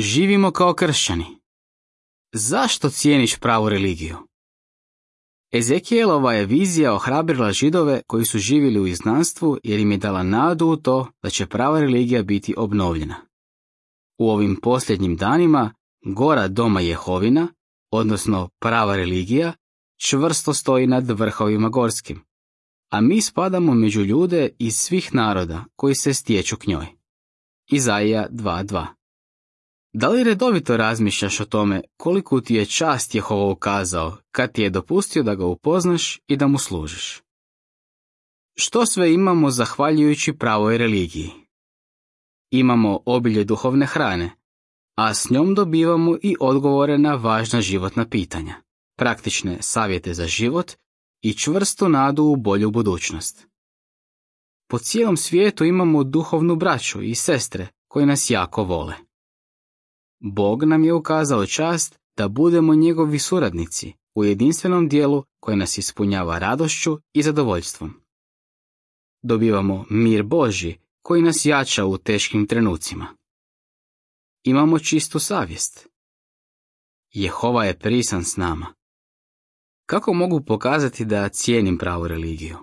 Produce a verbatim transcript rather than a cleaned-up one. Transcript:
Živimo kao kršćani. Zašto cijeniš pravu religiju? Ezekielova je vizija ohrabrila Židove koji su živjeli u izgnanstvu jer im je dala nadu u to da će prava religija biti obnovljena. U ovim posljednjim danima gora doma Jehovina, odnosno prava religija, čvrsto stoji nad vrhovima gorskim, a mi spadamo među ljude iz svih naroda koji se stječu k njoj. Izaija dva dva. Da li redovito razmišljaš o tome koliku ti je čast Jehova ukazao kad ti je dopustio da ga upoznaš i da mu služiš? Što sve imamo zahvaljujući pravoj religiji? Imamo obilje duhovne hrane, a s njom dobivamo i odgovore na važna životna pitanja, praktične savjete za život i čvrstu nadu u bolju budućnost. Po cijelom svijetu imamo duhovnu braću i sestre koji nas jako vole. Bog nam je ukazao čast da budemo njegovi suradnici u jedinstvenom dijelu koje nas ispunjava radošću i zadovoljstvom. Dobivamo mir Božji koji nas jača u teškim trenucima. Imamo čistu savjest. Jehova je prisan s nama. Kako mogu pokazati da cijenim pravu religiju?